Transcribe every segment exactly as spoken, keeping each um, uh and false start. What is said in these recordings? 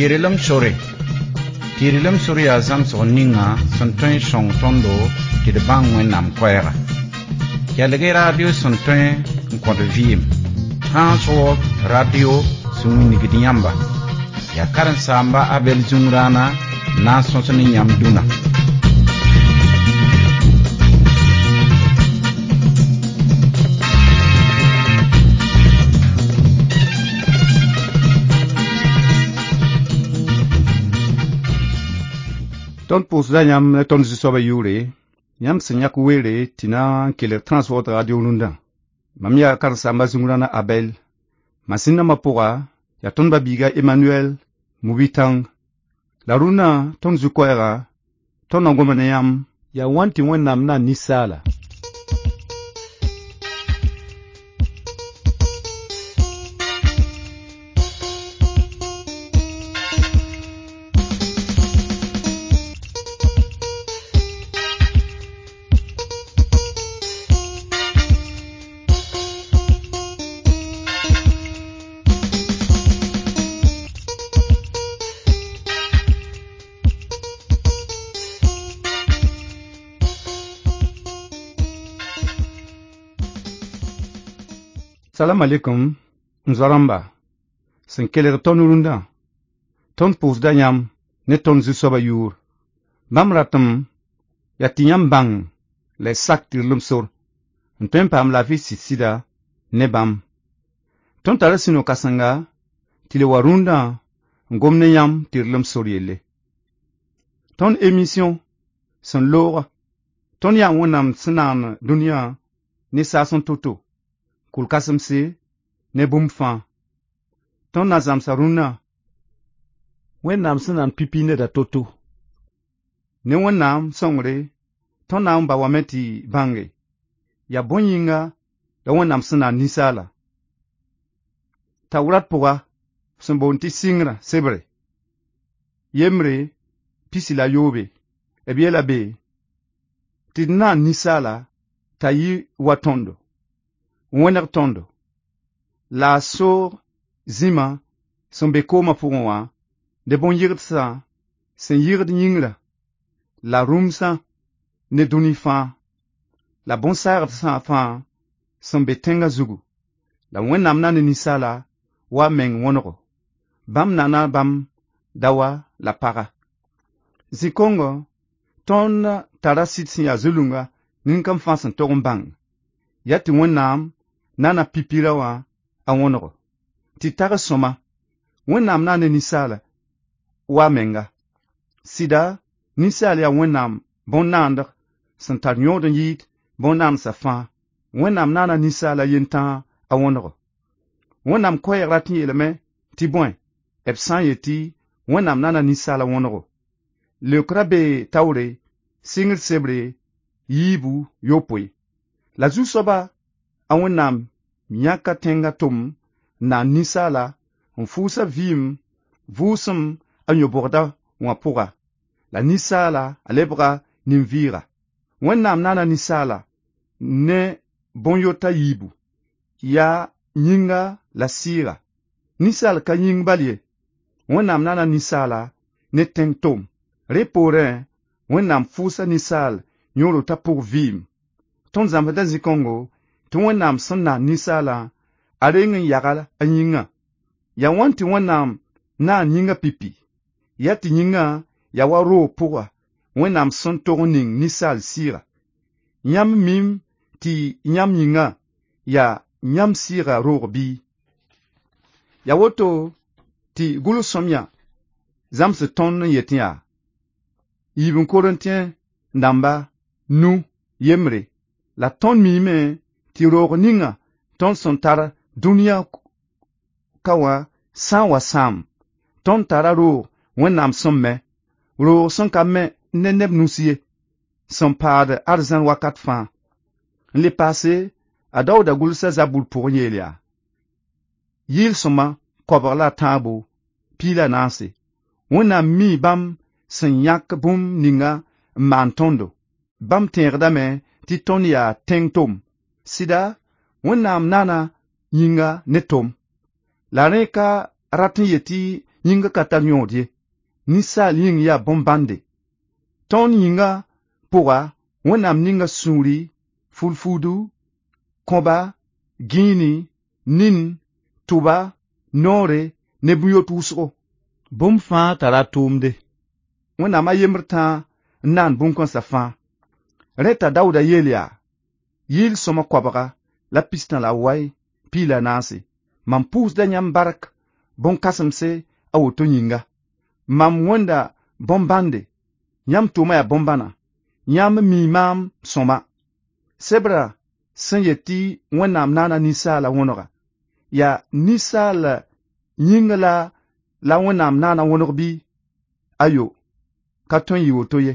Tɩ-rɩlem sore. Tɩ-rɩlem sor yaa zãmsg ninga sẽn tõe n sõng tõndo tɩ d bãng Wẽnnaam koɛɛga. Kelg-y radio sẽn tõe n kõt vɩɩm. Trans World Radio sẽn wilgd yãmba. Yaa karen-saamba Abɛl Zũngrãana n na n sõs ne yãmb dũnna. Tõnd pʋʋsda yãmb ne tõnd zu-soabã yʋʋre, yãmb sẽn yãk weere tɩ na n kelg Trans World Radio rũndã. Mam yaa karen-saamba Zũngrãna Abɛl. Masĩn-dãmbã pʋga yaa tõnd ba-biiga Emmanuel Mubitãng. La rũndã tõnd zu-koɛɛga, tõnd na goma ne yãmb yaa wãn tɩ Wẽnnaam na n ninsaala. Salam alaikum, n zoa-rãmba, sẽn kelg tõnd rũndã. Tõnd pʋʋsda yãmb ne tõnd zu-soabã yʋʋr. Bãmb ratem yaa tɩ yãmb bãng la y sak tɩrlem sor n tõe n paam laafɩ sɩd-sɩda ne bãmb. Tõnd tara sũ-no-kãsenga tɩ le wa rũndã n gom ne yãmb tɩrlem sor yelle. Tõnd émission sẽn looga, tõnd yaa Wẽnnaam sẽn naan dũniyã ne saas n to-to, kʋl-kãsemse ne bũmb fãa. Tõnd na zãmsa rũnnã Wẽnnaam sẽn naan pipi neda to-to. Ne Wẽnnaam sõngre, tõnd na n ba wame tɩ bãnge yaa bõe yĩnga la Wẽnnaam sẽn naan ninsaala. Tawrat pʋga sẽn boond tɩ sɩngrã sebre, yembre pisi la yoobe, b yeela be tɩ d naan ninsaala t'a yɩ wa tõndo, wẽneg tõndo, la a soog zĩma sẽn be koomã pʋgẽ wã ne bõn-yɩgdsã sẽn yɩgd yĩngrã la rũmsã ne dũni fãa la bõn-saagdsã fãa sẽn be tẽngã zugu. La Wẽnnaam na ne ninsaala wa a meng wõnego. Bãmb nana bãmb daoa la paga. Zĩ-kongo tõnd tara sɩd sẽn yaa zulunga nin-kam fãa sẽn tog n bãng yaa tɩ Wẽnnaam nana pipirã wã a wõnego. Tɩ tag sõma, Wẽnnaam na ne ninsaala wa a menga. Sɩda, ninsaal yaa Wẽnnaam bõn-naandg sẽn tar yõod n yɩɩd bõn-naandsã fãa. Wẽnnaam naana ninsaala yentãag a wõnego. Wẽnnaam koɛɛg rat n yeelame tɩ bõe, b sã n yetɩ Wẽnnaam naana ninsaala wõnego. Leokrã bee taoore, sɩngr sebre yiibu yopoe. La zu-soaba a Wẽnnaam yãka tẽngã tom n naan ninsaala n fʋʋsa vɩɩm vʋʋsem a yõ-bogda wã pʋga. La ninsaala a lebga nin-vɩɩga. Wẽnnaam naana ninsaala ne bõn-yota yiibu, yaa yĩnga la sɩɩga. Ninsaal ka yĩng bal ye. Wẽnnaam naana ninsaala ne tẽng tom. Rẽ poorẽ, Wẽnnaam fʋʋsa ninsaal yõor-rotã pʋg vɩɩm. Tõnd zãmsda zĩ-kõngo tɩ Wẽnnaam sẽn naan ninsaalã a reng n yaga a yĩngã. Yaa wãn tɩ Wẽnnaam naan yĩngã pipi? Yaa tɩ yĩngã yaa wa roog pʋga Wẽnnaam sẽn tog n ning ninsaal sɩɩga. Yãmb mim tɩ yãmb yĩngã yaa yãmb sɩɩga roog bɩ? Yaa woto tɩ gʋls-sõamyã zãmsd tõnd n yetɩ yaa: yiib n Korẽntẽ dãmba nu yembre. La tõnd miime tɩ roog ninga tõnd sẽn tar dũniyã ka wã sã n wa sãam, tõnd tara roog Wẽnnaam sẽn me, roog sẽn ka me ne neb nus ye, sẽn paad arzãn wakat fãa. N le paase, a Daooda gʋlsa zabur pʋgẽ yeel yaa: yɩɩl-sõma koabg la a tãabo, piig la a naase. Wẽnnaam mii bãmb sẽn yãk bũmb ninga n maan tõndo. Bãmb tẽegdame tɩ tõnd yaa tẽng tom. Sɩda, Wẽnnaam nana yĩnga ne tom. La rẽ ka rat n yetɩ Yĩnga ka tar yõod ye. Ninsaal yĩng yaa bõn-bãnde. Tõnd yĩnga pʋga Wẽnnaam ninga sũuri, fulfuudu, kõba, gĩini, nin, tʋba, noore ne bũn-yot wʋsgo. Bũmb fãa tara a tʋʋmde. Wẽnnaam a yembr tãa n naan bũn-kãnsã fãa. Rẽ t'a Daoodã yeel yaa: yɩɩl sõma koabga la pistã la wai piig la naase. Mam pʋʋsda yãmb bark bõn-kãsemse a woto yĩnga. Mam wẽnda bõn-bãnde, yãmb tʋʋma yaa bõn-bãna, yãmb mii maam sõma. Sebrã sẽn yet tɩ Wẽnnaam naana ninsaala wõnega, yaa ninsaal yĩnga la la Wẽnnaam naana wõneg bɩ? Ayo, ka tõe n yɩ woto ye.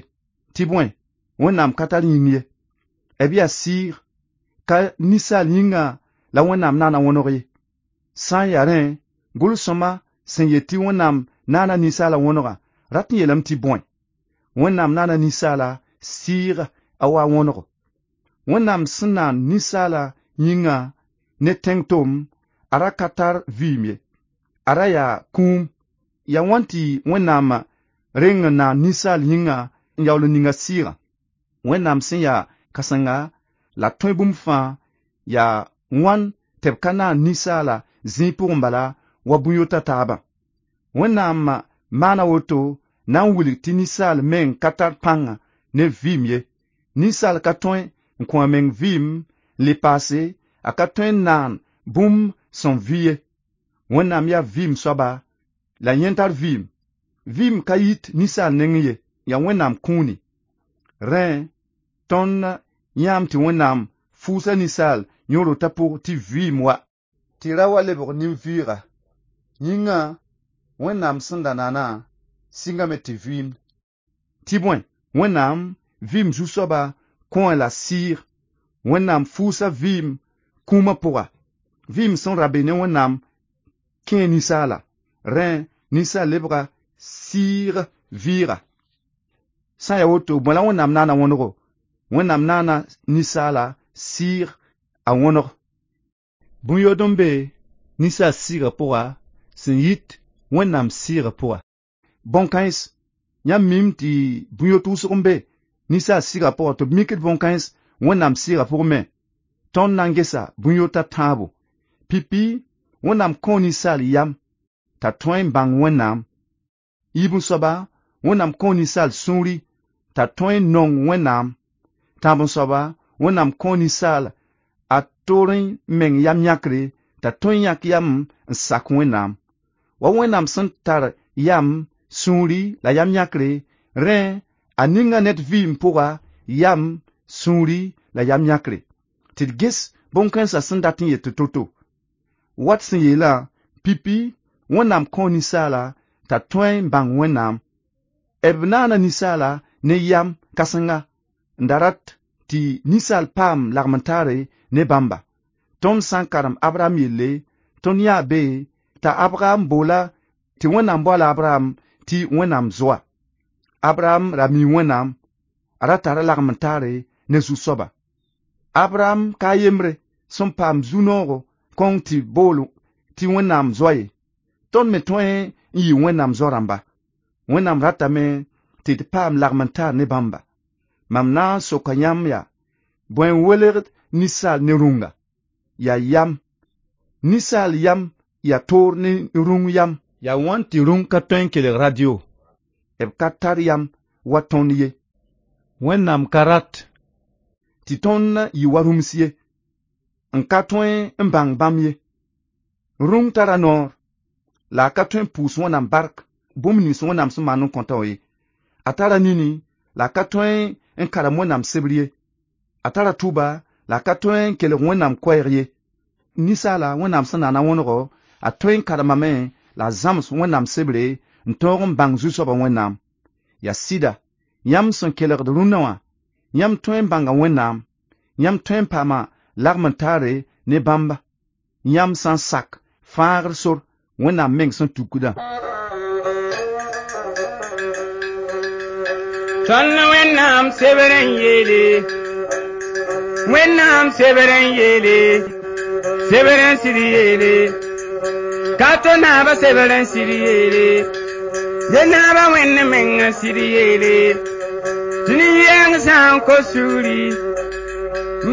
Tɩ bõe, Wẽnnaam ka tar yĩng ye. B yaa sɩɩg, ka ninsaal yĩnga la Wẽnnaam naana wõneg ye. Sã n yaa rẽ, gʋls-sõma sẽn yet tɩ Wẽnnaam naana ninsaala wõnega, rat n yeelame tɩ bõe? Wẽnnaam naana ninsaala sɩɩg a wa wõnego. Wẽnnaam sẽn naan ninsaala yĩnga ne tẽng tom, a ra ka tar vɩɩm ye. A ra yaa kũum. Yaa wãn tɩ Wẽnnaam reng n naan ninsaal yĩnga n yaool n ninga sɩɩgã? Wẽnnaam sẽn yaa kãsenga la tõe bũmb fãa yaa wãn tɩ b ka naan ninsaala zĩig pʋgẽ bala wa bũn-yota taabã? Wẽnnaam maana woto na n wilg tɩ ninsaal meng ka tar pãnga ne vɩɩm ye. Ninsaal ka tõe n kõ a meng vɩɩm n le paase, a ka tõe n naan bũmb sẽn vɩ ye. Wẽnnaam yaa vɩɩm soaba la yẽ tar vɩɩm. Vɩɩm ka yit ninsaal nengẽ ye, yaa Wẽnnaam kũuni. Rẽ, tõnd yãam tɩ Wẽnnaam fʋʋsa ninsaal yõ-rotã pʋg tɩ vɩɩm wa, tɩ ra wa lebg nin-vɩɩga. Yĩngã Wẽnnaam sẽn da naana sɩngame tɩ vɩɩmd. Tɩ bõe, Wẽnnaam vɩɩm zu-soaba kõ la sɩɩg. Wẽnnaam fʋʋsa vɩɩm kũumã pʋga. Vɩɩm sẽn ra be ne Wẽnnaam kẽe ninsaala. Rẽ, ninsaal lebga sɩɩg vɩɩga. Sã n yaa woto, bõe la Wẽnnaam naana wõnego? Wẽnnaam naana ninsaala sɩɩg a wõneg. Bũn-yod n be ninsaal sɩɩgã pʋga sẽn yit Wẽnnaam sɩɩgã pʋga. Bõn-kãens, yãmb miime tɩ bũn-yot wʋsg n be ninsaal sɩɩgã pʋga tɩ b mikd bõn-kãens Wẽnnaam sɩɩgã pʋgẽ me. Tõnd na n gesa bũn-yotã tãabo. Pipi, Wẽnnaam kõo ninsaal yam t'a tõe n bãng Wẽnnaam. Yiib n soaba, Wẽnnaam kõo ninsaal sũuri t'a tõe n nong Wẽnnaam. Tãab n soaba, Wẽnnaam kõo ninsaal a toorẽ meng yam yãkre t'a tõe n yãk yam n sak Wẽnnaam. Wa Wẽnnaam sẽn tar yam, sũuri la yam yãkre, rẽ a ninga ned vɩɩm pʋga yam, sũuri la yam yãkre. Tɩ d ges bõn-kãensã sẽn dat n yet tɩ to-to. Wat sẽn yeelã, pipi, Wẽnnaam kõo ninsaala t'a tõe n bãng Wẽnnaam. B naana ninsaala ne yam kãsenga n da rat tɩ ninsaal paam lagm-n-taare ne bãmba. Tõnd sã n karem Abraham yelle, tõnd yãa be t'a Abraham boola tɩ Wẽnnaam boala Abraham tɩ Wẽnnaam zoa. Abraham ra mi Wẽnnaam, a ra tara lagm-n-taare ne zu-soaba. Abraham ka a yembre sẽn paam zu-noogo kõng tɩ bool tɩ Wẽnnaam zoa ye. Tõnd me tõe n yɩ Wẽnnaam zo-rãmba. Wẽnnaam ratame tɩ d paam lagm-n-taar ne bãmba. Mam na n soka yãmb yaa, bõe n welgd ninsaal ne rũnga? Yaa yam. Ninsaal yam yaa toor ne rũng yam. Yaa wãn tɩ rũng ka tõe n kelg radio? B ka tar yam wa tõnd ye. Wẽnnaam ka rat tɩ tõnd yɩ wa rũms ye, n ka tõe n bãng bãmb ye. Rũng tara noor, la a ka tõe n pʋʋs Wẽnnaam bark bũmb nins Wẽnnaam sẽn maan n kõta wã ye. A tara nini, la a ka tõe n karem Wẽnnaam sebr ye. A tara tʋba, la a ka tõe n kelg Wẽnnaam koɛɛg ye. Ninsaala Wẽnnaam sẽn naana wõnego, a tõe n karemame la a zãms Wẽnnaam sebre n tõog n bãng zu-soabã Wẽnnaam. Yaa sɩda, yãmb sẽn kelgd rũnnã wã, yãmb tõe n bãnga Wẽnnaam, yãmb tõe n paama lagm-n-taare ne bãmba, yãmb sã n sak fãagr sor Wẽnnaam meng sẽn tukdã. Tõnd Wẽnnaam sebr n yeele, Wẽnnaam sebr n yeele, sebr n sɩd yeele, Ka to naaba sebr n sɩd yeele ye naaba wẽnd meng n sɩd yeele tɩ nin-yɛng sã n kos sugri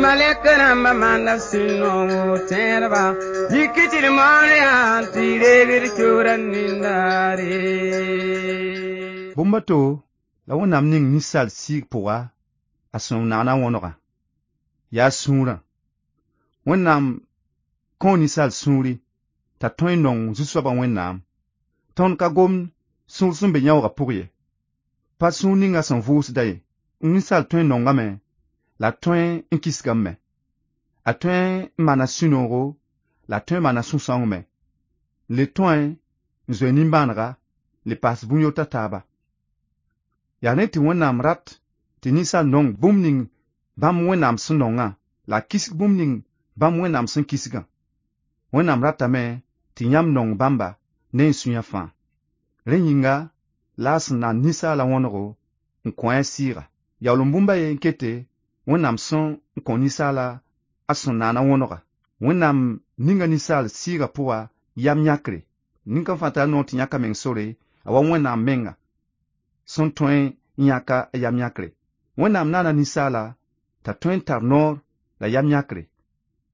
malɛk rãmbã maanda sẽn nongo tẽedba yik tɩ d maoor yaa tɩ reegd keoorã nindaare. Bũmb a to la Wẽnnaam ning ninsaal sɩɩg pʋga a sẽn naana wõnegã yaa sũurã. Wẽnnaam kõo ninsaal sũuri t'a tõe n nong Zu-soabã Wẽnnaam. Tõnd ka gomd sũur sẽn be yãoogã pʋg ye. Pa sũur ninga sẽn vʋʋsda ye. Ninsaal tõe n nongame la tõe n kisgame me. A tõe n maana sũ-noogo la tõe n maana sũ-sãoong me. Le tõe n zoe nimbãanega le paas bũn-yota taaba. Yaa rẽ tɩ Wẽnnaam rat tɩ ninsaal nong bũmb ning bãmb Wẽnnaam sẽn nongã la a kisg bũmb ning bãmb Wẽnnaam sẽn kisgã. Wẽnnaam ratame tɩ yãmb nong bãmba ne y sũyã fãa. Rẽ yĩnga la a sẽn na ninsaala wõnego n kõ a sɩɩga. Yaool n bũmba ye n kete Wẽnnaam sẽn n kõ ninsaala a sẽn naana wõnega. Wẽnnaam ninga ninsaal sɩɩga pʋga yam yãkre. Nin-kãng fãa tara noor tɩ yãk a meng sore a wa Wẽnnaam menga sẽn tõe n yãka a yam yãkre. Wẽnnaam naana ninsaala t'a tõe n tar noor la yam yãkre.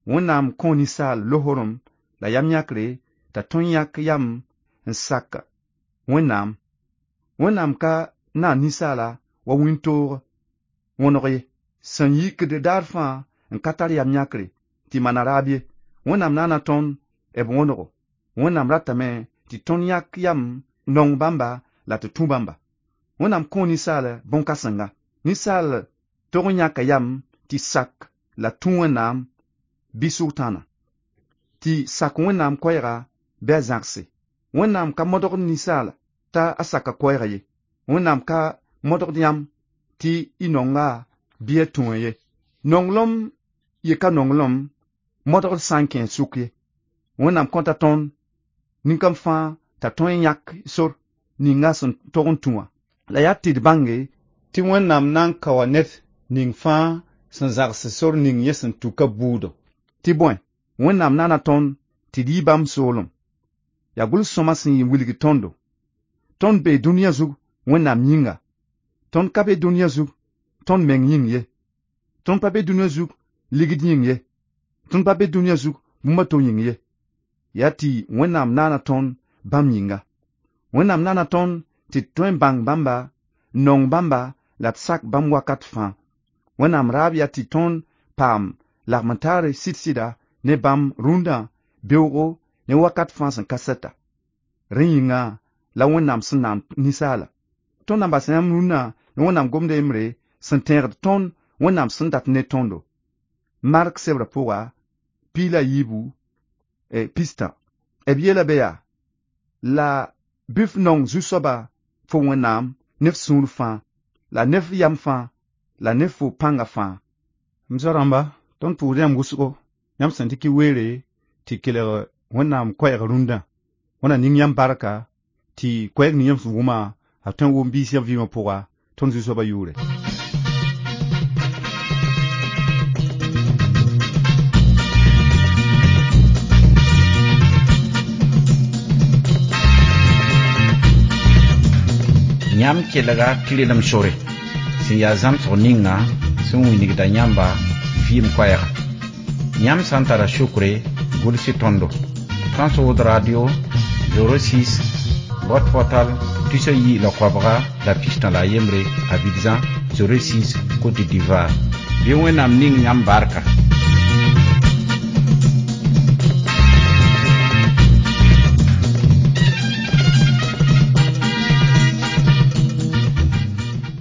Wẽnnaam kõo ninsaal losorem la yam yãkre t'a tõe n yãk yam n sak Wẽnnaam. Wẽnnaam ka naan ninsaala wa wĩntoog wõneg ye. Sẽn yikd daar fãa n ka tar yam yãkre tɩ maana raab ye. Wẽnnaam naana tõnd b wõnego. Wẽnnaam ratame tɩ tõnd yãk yam nong bãmba la tɩ tũ bãmba. Wẽnnaam kõo ninsaal bõn-kãsenga. Ninsaal tog n yãka yam tɩ sak la tũ Wẽnnaam bɩ sʋgtãana. Tɩ sak Wẽnnaam koɛɛga bɩ a zãgse. Wẽnnaam ka modgd ninsaala t'a a saka koɛɛga ye. Wẽnnaam ka modgd yãmb tɩ y nonga bɩ a tũ ye. Nonglem ye ka nonglem modgd sã n kẽ sʋk ye. Wẽnnaam kõta tõnd nin-kam fãa t'a tõe n yãk sor ninga sẽn tog n tũ wã. La yaa tɩ d bãnge tɩ Wẽnnaam na n ka wa ned ning fãa sẽn zãgs sor ning yẽ sẽn tuka buudã. Tɩ bõe, Wẽnnaam naana tõnd tɩ d yɩ bãmb soolem. Yaa gʋls-sõma sẽn wilg tõndo. Tõnd bee dũniyã zug Wẽnnaam yĩnga. Tõnd ka be dũniyã zug tõnd meng yĩng ye. Tõnd pa be dũniyã zug ligd yĩng ye. Tõnd pa be dũniyã zug bũmb a to yĩng ye. Yaa tɩ Wẽnnaam naana tõnd bãmb yĩnga. Wẽnnaam naana tõnd tɩ d tõe n bãng bãmba, n nong bãmba la d sak bãmb wakat fãa. Wẽnnaam raab yaa tɩ tõnd paam lagm-n-taare sɩd-sɩda ne bãmb rũndã beoogo ne wakat fãa sẽn ka sɛta. Rẽ yĩnga la Wẽnnaam sẽn naan ninsaala. Tõnd na n bas yãmb rũndã ne Wẽnnaam gomda yembre sẽn tẽegd tõnd Wẽnnaam sẽn dat ne tõndo. Mark sebrã pʋga piig la yiibu pistã. B yeela be yaa la bɩ f nong Zu-soaba fo Wẽnnaam ne f sũur fãa la ne f yam fãa la ne fo pãnga fãa. M zoa-rãmba, tõnd pʋʋsd yãmb wʋsgo, yãmb sẽn dɩk y weere tɩ kelg Wẽnnaam koɛɛg rũndã. Wẽnnaam ning yãmb barka tɩ koɛɛg ning yãmb sẽn wʋmã a tõe n wʋm biis yã vɩɩmã pʋga tõnd Zu-soabã yʋʋre. Yãmb kelga tɩrlem sore sẽn yaa zãmsg ninga sẽn wilgda yãmba vɩɩm koɛɛga. Yãmb sã n tara sukre gʋls tõndo. Transworld Radio zéro six boîte postale tusa yi la koabga la pistã la a yembre Abidjan zéro six Côte d'Ivoire. Bɩ Wẽnnaam ning yãmb barka.